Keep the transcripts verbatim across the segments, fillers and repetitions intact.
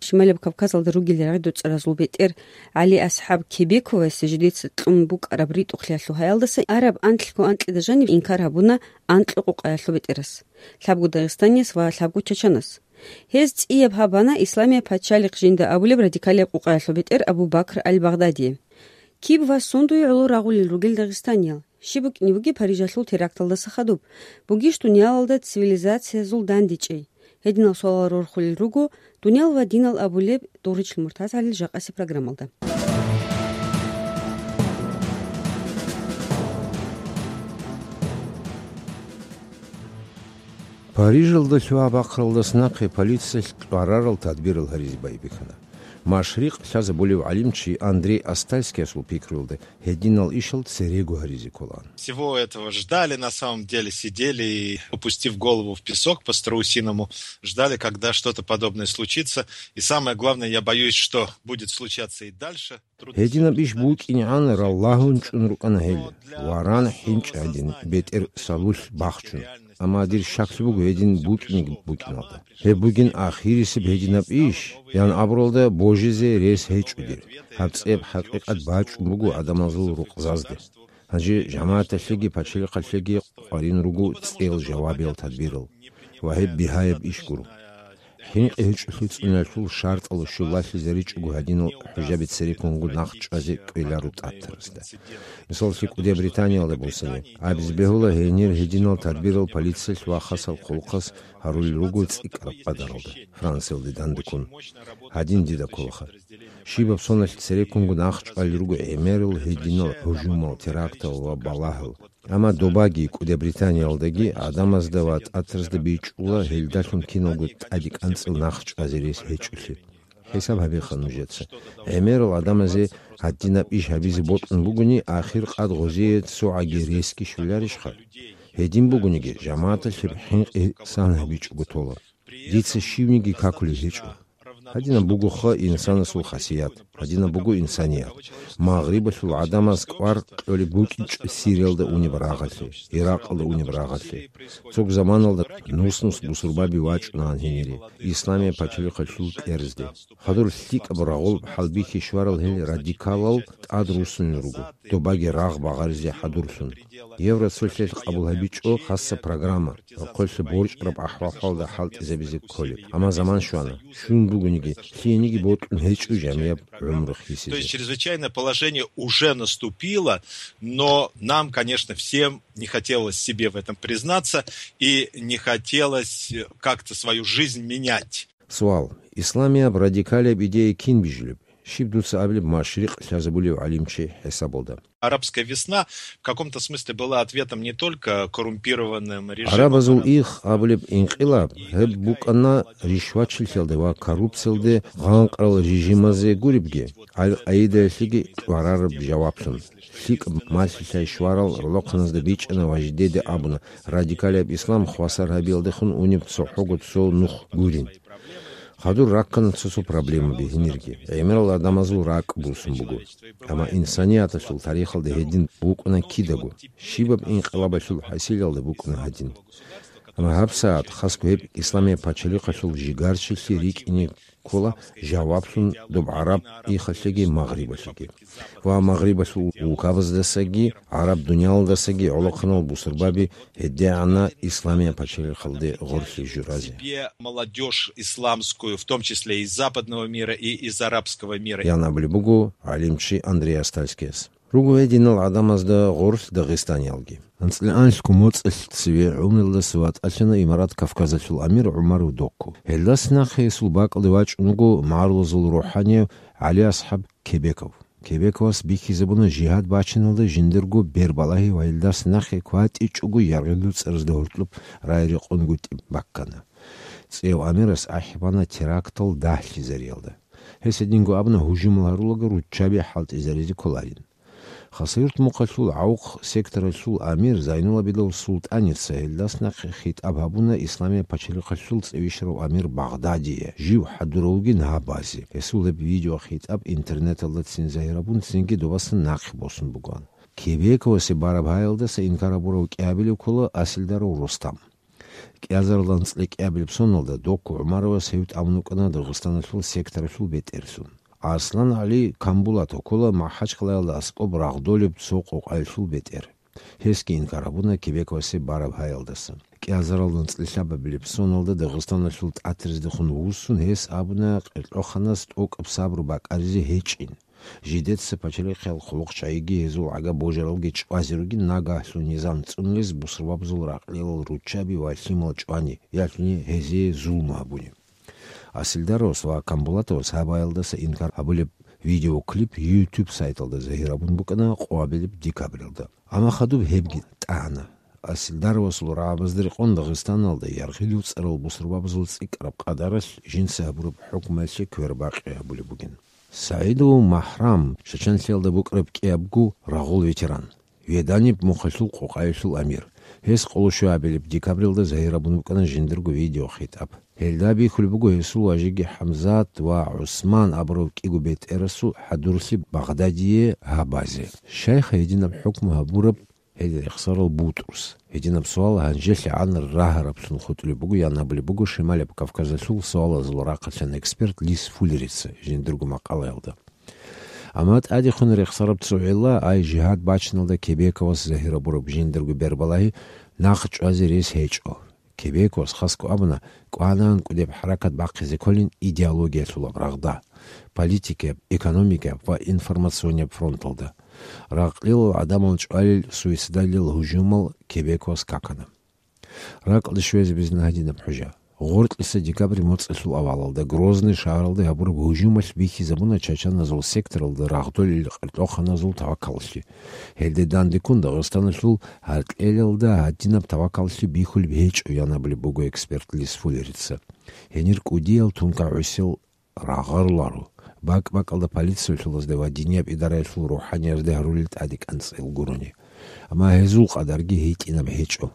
Шималаб Кавказалда ругел рагъидуцӀаразул бетӀер ГӀали АсхӀаб Кебековасе жидеца кьун букӀараб ритӀухълъиялъул гьаялдаса араб анлъго анкьида жаниб инкар гьабуна анкьго къукъаялъул бетӀерас, лъабго дагъистанияс ва лъабго чачанас. Гьез цӀияб гьабана Исламияб пачалихъ жинда абулеб радикалияб къукъаялъул бетӀер Абу Бакр аль-Багъдадие. Киб ва сундуе гӀоло рагъулел ругел дагъистаниял? Щиб букӀине бугеб Парижалъул теракталдаса хадуб? Бугищ дуниялалда цивилизациязул дандечӀей? Гьединал суалал рорхулел руго «Дуниял ва динал» абулеб Дугъричил МуртазгӀалил жакъасеб программалда. Парижалда лъугьа-бахъаралдаса нахъе полициялъ кьварарал тадбирал гьаризе байбихьана. Машрикъ лъазабулев гӀалимчи Андрей Остальскиясул пикруялда, гьединал ишал церего гьаризе кколаан. Всего этого ждали, на самом деле сидели и, опустив голову в песок по-страусиному, ждали, когда что-то подобное случится. И самое главное, я боюсь, что будет случаться и дальше. Гьединаб иш букӀинегӀан раллагьун чӀун рукӀана гьел, варан хӀинчӀ гӀадин, бетӀер сабулъ бахчун. Амма дир щаклъи буго гьедин букӀинеги букӀиналда. Гьеб бугин ахирисеб гьединаб иш, ян абуралда божизе рес гьечӀо дир. Гьаб цӀеб хӀакъикъат бачӀун буго гӀадамазул рукъзазде. Гьанже жамагӀаталъеги пачалихъалъеги къварин руго цӀел жавабиял тадбирал ва гьеб бигьаяб иш гуро. ХӀинкъи гьечӀолъи цӀуналъул шартӀал щулалъизаричӀого гьадинал хӀужаби цереккунго нахъ чӀвазе кӀвеларо тӀатарасда. Мисаллъи, КӀудияб Британиялда босани, абизе бегьула гьенир гьединал тадбирал полициялъ ва хасал хъулухъас гьарулел руго цӀикӀкӀараб къадаралда, Франциялде дандеккун. Гьадин дида кколаха. Щибаб соналъ цереккунго нахъ чӀвалел руго гӀемерал гьединал гьужумал, терактал ва балагьал. Амма добаги КӀудияб Британиялдаги гӀадамазда ва тӀатразда бичӀчӀула гьелдалъун киналго тӀаде кӀанцӀил нахъ чӀвазе рес гьечӀолъи. ХӀисаб гьабеха нужеца. ГӀемерал гӀадамазе гьадинаб иш гьабизе бокьун бугони, ахир къад гъозие цогӀаги ресги щоларищха? Гьедин бугониги, жамагӀаталъ гьеб хӀинкъи сан гьабичӀого тола. Дица щивниги какулеб гьечӀо. Гьадинаб бугоха инсанасул хасият, гьадинаб буго инсаният. Магърибалъул гӀадамаз кӀвар кьолеб букӀинчӀо Сириялда унеб рагъалъе, Иракъалда унеб рагъалъе. Цо заманалда нус-нус бусурбаби вачӀунаан гьенире, Исламияб пачалихъалъул кьерезде. Хадур лъикӀаб рагъулаб хӀалбихьи щварал гьел радикалал тӀад руссунел руго, добаги рагъ багъаризе хӀадурлъун. Евроцолъиялъ къабул гьабичӀо хасса программа, рохъолъа борчӀараб ахӀвал-хӀалда хӀалтӀизабизе кколеб. Амма заман щвана. Щун бугониги, лъиениги бокьун гьечӀо жамияб гӀумру хисизе. То есть чрезвычайное положение уже наступило, но нам, конечно, всем не хотелось себе в этом признаться и не хотелось, э, как-то свою жизнь менять. Суал. Исламияб радикалияб идея кин бижулеб? Щиб дуца абилеб машрикъ лъазабулев гӀалимчи хӀисабалда? Арабская весна в каком-то смысле была ответом не только коррумпированным режимам. Арабазул их абулеб инкъилаб гьеб букӀана ришвачилъиялде ва коррупциялде гъанкъарал режимазе гуребги, Аль-Къаидаялъеги кьварараб жаваблъун. ЛъикӀаб малъи-лъай щварал ролохъаназда бичӀчӀана ва жидеде абуна, радикалияб ислам хвасар гьабиялдехун унеб цохӀого цо нух гурин. Хадур раккана цо-цо проблемаби гьенирги. ГӀемерал гӀадамазул ракӀ бусун буго. Амма инсанияталъул тарихалда гьедин букӀана кидаго. Щибаб инкъилабалъул хӀасилалда букӀана гьадин. Амма гьабсагӀат хасго гьеб Исламияб пачалихъалъул жигарчилъи рикӀкӀине ккола жаваблъун доб гӀараб ихалъеги магърибалъеги. Ва магърибалъул улкабаздасаги, гӀараб дуниялалдасаги гӀолохъанал бусурбаби гьедигӀана Исламияб пачалихъалде гъорлъи журазе. Себе молодёжь исламскую, в том числе из западного мира и из арабского мира. Ян абулеб буго гӀалимчи Андрей Остальскияс. Руго гьединал гӀадамазда гъорлъ дагъистаниялги. АнцӀила анлъго моцӀалъ цеве гӀумруялдаса ватӀалъана Имарат Кавказалъул амир ГӀумар Удокков. Гьелдаса нахъе гьесул бакӀалде вачӀун вуго магӀарулазул рухӀанияв ГӀали АсхӀаб Кебеков. Кебековас бихьизабуна жигьад бачиналда жиндирго бербалагьи ва гьелдаса нахъе кватӀичӀого яргъи-дуцӀаразда гьоркьоб рай-рекъонгутӀи баккана. ЦӀев амирас ахӀи бана терактал дагьлъизариялда. Гьес гьединго абуна гьужумал гьарулаго руччаби хӀалтӀизаризе кколарин. Хасавюрт мухъалъул ГӀавухъ секторалъул амир Зайнулабидов Султаница гьелдаса нахъе хитӀаб гьабуна Исламияб пачалихъалъул цӀивищарав амир Багъдадие, жив хӀадуравгин гьабазе. Гьесул гьеб видеохитӀаб интернеталда цин загьирабун, цинги добасан нахъе босун бугоан. Кебековасе бараб гьаялдаса инкар гьабурав кӀиабилев ккола Асилдаров Рустам. КӀиазаралда анцӀила кӀиабилеб соналда Доку ГӀумаровас гьев тӀамун вукӀана Дагъистаналъул секторалъул бетӀерлъун. Арслан ГӀали Камбулатов ккола МахӀачкъалаялда аскӀоб рагъдолеб цо къокъаялъул бетӀер. Гьесги инкар гьабуна Кебековасе бараб гьаялдаса. КӀиазаралда анцӀила лъабабилеб соналда Дагъистаналъул ТӀатрездехун вуссун, гьес абуна къеркьоханас тӀокӀаб сабру бакӀаризе гьечӀин. Жидеца пачалихъал хъулухъчагӀиги гьезул гӀага божаралги чӀвазе ругин, нагагьлъун низам цӀунулез бусурбабазул ракълилал руччаби ва лъимал чӀвани, ялъуни гьезие зулму гьабуни. Асилдаровас ва Камбулатовас гьаб гьаялдаса инкар гьабулеб видеоклип YouTube сайталда загьир гьабун букӀана къоабилеб декабралда. Амма хадуб гьебги тӀагӀана. Асилдаровасул рагӀабазда рекъон Дагъистаналда яргъилев цӀарал бусурбабазул цӀикӀкӀараб къадаралъ жинца гьабураб хӀукмуялъе квербакъи гьабулеб бугин. СагӀидов МахӀрам, Чачанлъиялда букӀараб кӀиябго рагъул ветеран, Веданиб мухъалъул къокъаялъул амир. Гьес къоло щуабилеб декабралда загьир гьабун букӀана жиндирго видеохитаб. Гьелда бихьулеб буго гьесул важиги ХӀамзат ва ГӀусман абурав кӀиго бетӀерасул хӀадурлъи Багъдадие гьабазе. Щайха гьединаб хӀукму гьабураб гьел рехсарал бутӀрус? Гьединаб суал гьанжелъагӀан рагьараблъун хутӀулеб буго, ян абулеб буго Шималаб Кавказалъул суалазул рахъалъан эксперт Лис Фуллерица жиндирго макъалаялда. Амма тӀадехун рехсараб цо гӀилла, ай жигьад бачиналда Кебековас загьир гьабураб жиндирго бербалагьи нахъ чӀвазе рес гьечӀо. Кебековас хасго абуна, кӀванагӀан кӀудеб хӀаракат бахъизе кколин идеологиялъулаб рагъда, политикияб, экономикияб ва информационияб фронталда. Ракълилал гӀадамал чӀвалел суицидалил гьужумал Кебековас какана. РакӀалде щвезабизна гьадинаб хӀужа. Гъоркьиса декабрь моцӀалъул авалалда Грозный шагьаралда гьабураб гьужумалъ бихьизабуна чачаназул секторалда рагъдолел къеркьоханазул тавакаллъи. Гьелде дандеккун Дагъистаналъул гьаркьелалда гьадинаб тавакаллъи бихьулеб гьечӀо, ян абулеб буго эксперт Лис Фуллерица. Гьенир кӀудиял тункагӀусел рагъаруларо. БакӀ-бакӀалда полициялъулазда ва динияб идараялъул рухӀаниязда гьарулел тӀаде кӀанцӀил гурони. Амма гьезул къадарги гьитӀинаб гьечӀо.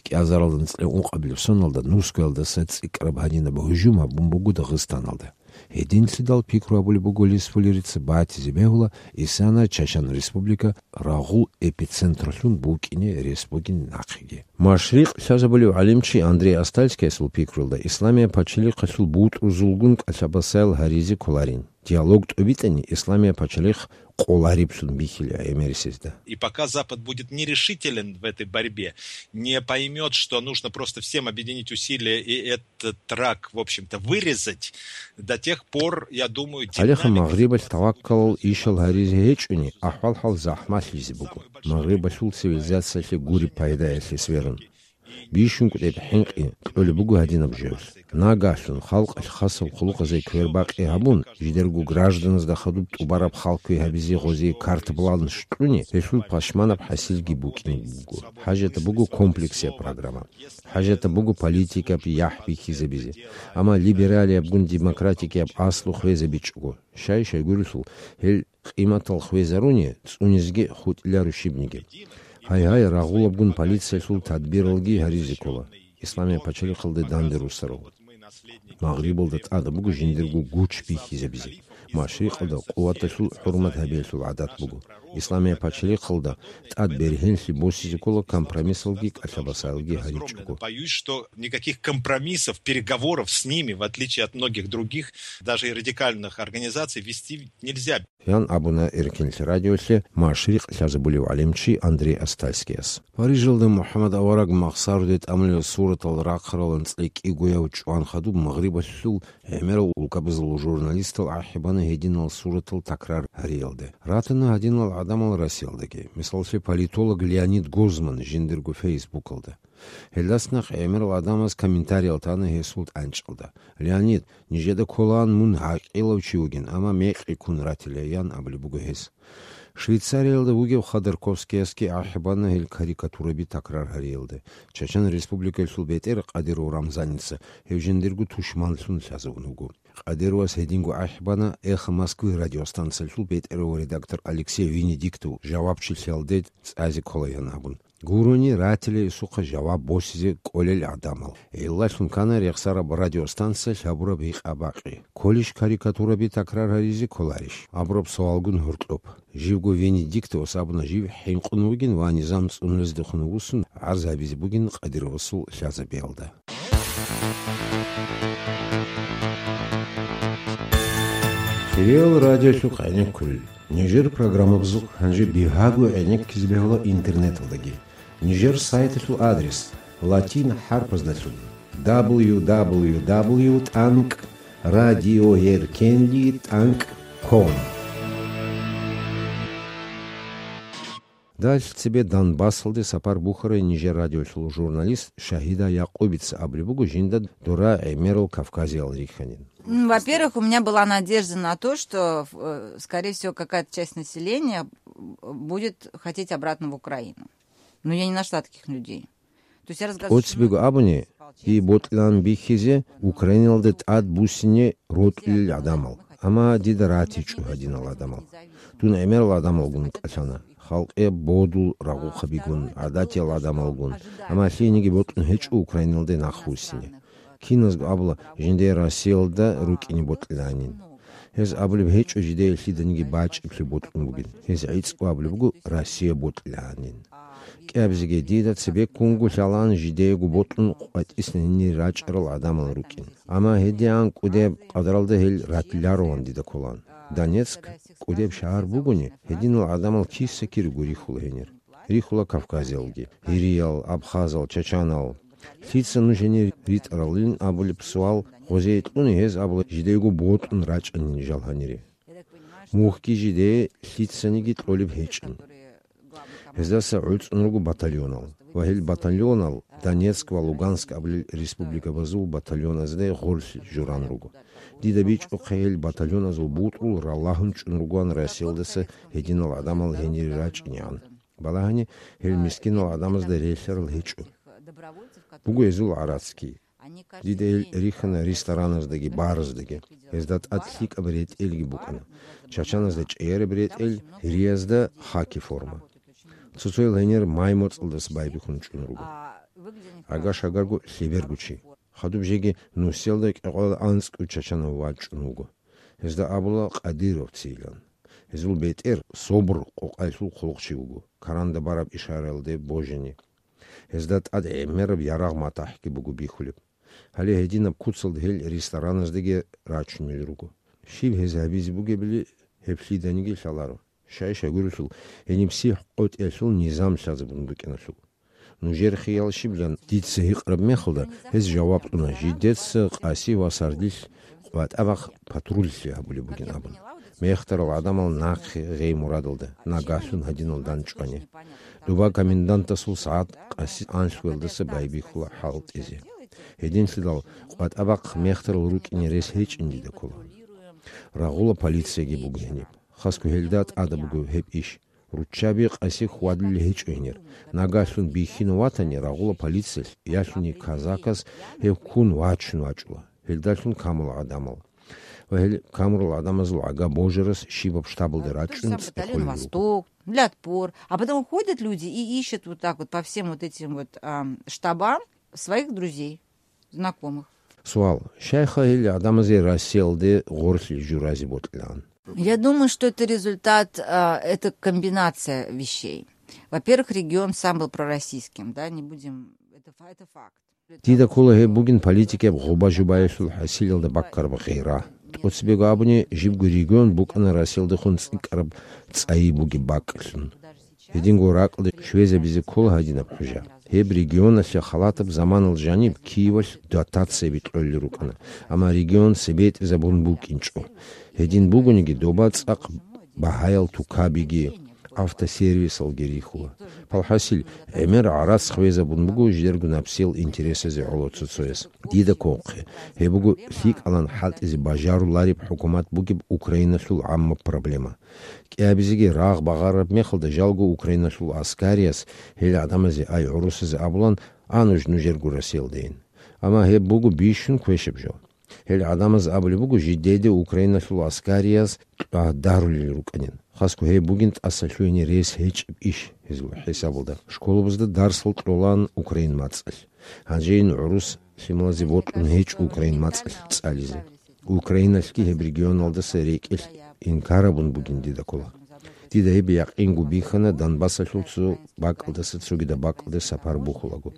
КӀиазаралда анцӀила ункъабилеб соналда Нускоялдаса цӀикӀкӀараб гьадинаб гьужум гьабун буго Дагъистаналда. Гьединлъидал пикру гьабулеб буго Лис Фуллерица батизе бегьула исана Чачан Республика рагъул эпицентралъун букӀине рес бугин нахъеги. Машрикъ лъазабулев гӀалимчи Андрей Остальскиясул пикруялда, Исламияб пачалихъалъул бутӀрузулгун кӀалъабасаял гьаризе кколарин. Диалог тӀобитӀани, Исламияб пачалихъ къолариблъун бихьила гӀемерисезда. И пока Запад будет нерешителен в этой борьбе, не поймёт, что нужно просто всем объединить усилия и этот рак, в общем-то, вырезать, до тех пор, я думаю, Гьалеха динамика Магърибалъ таваккалал ишал гьаризе гьечӀони, ахӀвал-хӀал захӀмалъизе буго. Магърибалъул цивилизациялъе гуреб пайдаялъе сверун. Бищун кӀудеб хӀинкъи кьолеб буго гьадинаб жоялъ. Нагагьлъун халкъалъ хасаб хъулухъазе квербакъи гьабун, жидерго гражданазда хадуб тӀубараб хал кквей гьабизе гъозие карт-план щкьуни, гьелъул пашманаб хӀасилги букӀин буго. ХӀажатаб буго комплексияб программа. ХӀажатаб буго политикаб яхӀ бихьизабизе. Амма либералиябгун демократикияб аслу хвезабичӀого, щай-щайгурелъул гьел къиматал хвезаруни, цӀунизеги хутӀиларо щибниги. Гьай-гьай, рагъулабгун полициялъул тадбиралги гьаризе ккола. Исламияб пачалихъалде данде руссарал. Магърибалда тӀад буго жиндирго гуч бихьизабизе. Машрикъалда къуваталъул хӀурмат гьабиялъул гӀадат буго. Исламияб пачалихъалда тӀад бергьенлъи босизе ккола компромиссалги кӀалъабасаялги гьаричӀого. Боюсь, что никаких компромиссов, переговоров с ними, в отличие от многих других, даже и радикальных организаций, вести нельзя. Ян абуна Эркинлъи радиолъе Машрикъ лъазабулев гӀалимчи Андрей Остальскияс. Парижалда МухӀаммад авараг Махсаруде тӀамулел суратал рахъарал анцӀила кӀигояв чӀван хадуб Магърибалъул гӀемерал улкабазул журналистал ахӀи бана гьединал суратал такрар гьариялде. Ратана гьадинал гӀадамал Россиялдаги. Мисаллъе, политолог Леонид Гозман жиндирго Фейсбукалда. Гьелдаса нахъ гӀемерал гӀадамаз комментариял тана гьесул тӀанчӀалда: «Леонид, нижеда кколаан мун гӀакъилав чи вугин, амма мекъи ккун ратила», — ян абулеб буго гьес. Швейцариялда вугев Ходорковскиясги ахӀи бана гьел карикатураби такрар гьариялде. Чачан Республикаялъул бетӀер Къадиров Рамзаница гьев жиндирго тушманлъун лъазавун вуго. Къадировас гьединго ахӀи бана «Эхо Москвы» радиостанциялъул бетӀерав редактор Алексей Венедиктов жавабчилъиялде цӀазе кколаян абун. Гурони ратила гьесухъа жаваб босизе кӀолел гӀадамал. Гьелдалъун ккана рехсараб радиостанциялъ гьабураб гьикъа-бакъи. Кколищ карикатураби такрар гьаризе, кколарищ? Абураб суалгун гьоркьоб. Живго Венедиктовас абуна жив хӀинкъун вугин ва низам цӀунулездехун вуссун, гӀарз гьабизе бугин Къадировасул лъазабиялда. Хириял радиолъухъ гӀенеккулел. Нижер программабазухъ гьанже бигьаго гӀенеккизе бегьула интернеталдаги. Нижер сайталъул адрес латин хӀарпаздалъун: дабл ю дабл ю дабл ю тӀанкӀ радиоеркенли тӀанкӀ ком. Далъ цебе Донбассалде сапар бухьарай нижер радиолъул журналист Шагьида Якъубица абулеб буго жинда дора гӀемерал Кавказиял рихьанин. М, во-первых, у меня была надежда на то, что, э, скорее всего, какая-то часть населения, э, будет хотеть обратно в Украину. Но я не нашла таких людей. То есть я разговаривала с... ТӀоцебего абуни, дие бокьилаан бихьизе Украиналда тӀад буссине рокьулел гӀадамал. Амма дида ратичӀо гьадинал гӀадамал. Дун гӀемерал гӀадамалгун кӀалъана, халкъе бодул рагъухъабигун, гӀадатиял гӀадамалгун, амма лъиениги бокьун гьечӀо Украиналде нахъвуссине. Киназго абула, жиндие Россиялда рукӀине бокьилаанин. Гьез абулеб гьечӀо жидее лъиданиги бачӀиблъи бокьун бугин. Гьез гӀицӀго абулеб буго Россия бокьилаанин. КӀиабизеги дида цебеккунго лъалаан жидеего бокьун къватӀисна гьенир рачӀарал гӀадамал рукӀин. Амма гьедигӀан кӀудеб къадралда гьел ратилароан дида кколаан. Донецк кӀудеб шагьар бугони, гьединал гӀадамал киса-кириго рихьула гьенир. Рихьула кавказиялги, гьириял, абхазал, чачанал. Лъица нуж гьенир ритӀаралин абулеб суал гъозие кьуни, гьез абула, жидеего бокьун рачӀанин жал гьанире. Мухьги жидее лъицаниги кьолеб гьечӀин. Гьездаса гӀуцӀун руго батальонал, ва гьел батальонал Донецк ва Луганск абулел республикабазул батальоназде гъорлъ журан руго. Дида бичӀухъе, гьел батальоназул бутӀрул ралагьун чӀун ругоан Россиялдаса гьединал гӀадамал гьенире рачӀинегӀан. Балагьани, гьел мискинал гӀадамазда релълъарал гьечӀо. Буго гьезул гӀарацги. Дида гьел рихьана рестораназдаги, бараздаги. Гьезда тӀад лъикӀаб ретӀелги букӀана. Чачаназда чӀеяраб ретӀел, гьириязда хаки форма. Цоцоял гьенир май моцӀалдаса байбихьун чӀун руго. Гьагаш-гьагарго лъеберго чи. Хадуб жеги нусиялда кӀикъоялда анцӀго чачанав вачӀун вуго. Гьезда абула Къадировцийилан. Гьезул бетӀер СОБР къокъаялъул хъулухъчи вуго, каранда бараб ишараялде божани. Гьезда тӀад гӀемераб ярагъ-матахӀги буго бихьулеб. Гьале гьединаб куцалда гьел рестораназдаги рачунел руго. Щиб гьез гьабизе бугебали, гьеб лъиданиги лъаларо. Шай-шагурелъул, гьениб сихӀ къотӀиялъул низам лъазабун букӀиналъул. Нужер хиял щибилан дица гьикъараб мехалда, гьез жаваб кьуна, жидеца къаси ва сардилъ къватӀа бахъ патруллъи гьабулеб бугин абун. Мехтарал гӀадамал нахъе гъей мурадалда, нагагьлъун гьадинал данчӀвани. Доба комендантасул сагӀат къаси анлъуялдаса байбихьула хӀалтӀизе. Гьединлъидал къватӀа бахъ мехтарал рукӀине рес гьечӀин дида ккола. Рагъула полицияги буго гьениб. Хасго гьелда тӀада буго гьеб иш. Руччаби къаси хьвадулел гьечӀо гьенир. Нагагьлъун бихьинав ватани, рагъула полициялъ, ялъуни казакас гьев ккун вачун вачӀула. Гьелдалъун камула гӀадамал. Ва гьел камурал гӀадамазул гӀага божарас щибаб штабалда рачӀун цӀехолел руго. Восток, для отпор. А потом ходят люди и ищут вот так вот по всем вот этим вот, ам, штабам своих друзей, знакомых. Суал. Щайха гьел гӀадамазе Россиялде гъорлъи журазе бокьилаан? Я думаю, что это результат, а, это комбинация вещей. Во-первых, регион сам был пророссийским, да, не будем, это фа-, это факт. Дида ккола гьеб бугин политикияб гъоба-жубаялъул хӀасилалда баккараб гъира. ТӀоцебего абуни, жибго регион букӀана Россиялдехун цӀикӀкӀараб цӀайи бугеб бакӀлъун. Гьединго ракӀалде щвезабизе ккола гьадинаб хӀужа. Гьеб регионалъе халатаб заманалда жаниб Киевалъ дотацияби кьолел рукӀана, амма регион цебетӀезабун букӀинчӀо. Гьедин бугониги, доба цӀакъ багьаял тукабиги, автосервисалги рихьула. Палхасил, гӀемер гӀарац хвезабун буго жидерго напсиял интересазе гӀоло цоцояс. Дида кколхъе, гьеб буго лъикӀалан хӀалтӀизе бажарулареб хӀукумат бугеб Украиналъул гӀаммаб проблема. КӀиабизеги рагъ багъараб мехалда жалго Украиналъул аскариас гьел гӀадамазе, ай гӀурусазе абулан, а нуж нужерго Россиялдейин. Амма гьеб буго бищун квешаб жо. Гьел гӀадамаз абулеб буго, жидеде Украиналъул аскариас кьвагьдарулел рукӀанин. Хасго гьеб бугин тӀаса лъугьине рес гьечӀеб иш гьезул хӀисабалда. Школабазда дарсал кьолаан украин мацӀалъ. Гьанжейин гӀурус лъималазе бокьун гьечӀо украин мацӀалъ цӀализе. Украиналъги гьеб регионалдаса рекӀелъ инкарабун бугин дида ккола. Дида гьеб якъинго бихьана Донбассалъул цо бакӀалдаса цогидаб бакӀалде сапар бухулаго.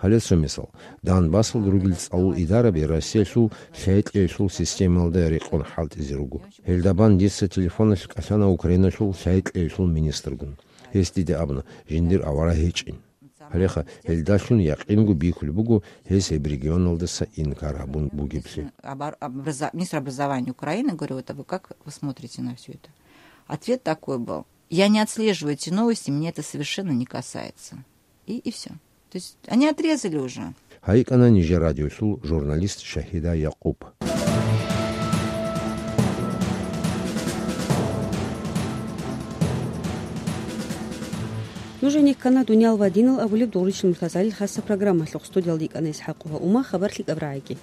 Гьале цо мисал. Донбассалда ругел цӀалул идараби Россиялъул лъай-кьейилъул системалда рекъон хӀалтӀизе руго. Гьелда бан дица телефоналъ кӀалъана Украиналъул лъай-кьейилъул министргун. Гьес дида абуна, жиндир авараг гьечӀин. Гьалеха, гьелдалъун якъинго бихьулеб буго гьес гьеб регионалдаса инкар гьабун бугеблъи. Обор-, образа-, министр образования Украины, говорю, вот, а вы как вы смотрите на всё это? Ответ такой был: «Я не отслеживаю эти новости, меня это совершенно не касается». И, и всё. То есть они отрезали уже. Гьайкана нижер радиолъул журналист Шахида Якъуб. Нуж гьенеккана «Дуниял ва динал» абулеб Дугъричил Муртазалил хасаб программалъухъ. Студиялда йикӀана ИсхӀакъова Ума. Хабар лъикӀаб рагӀиги.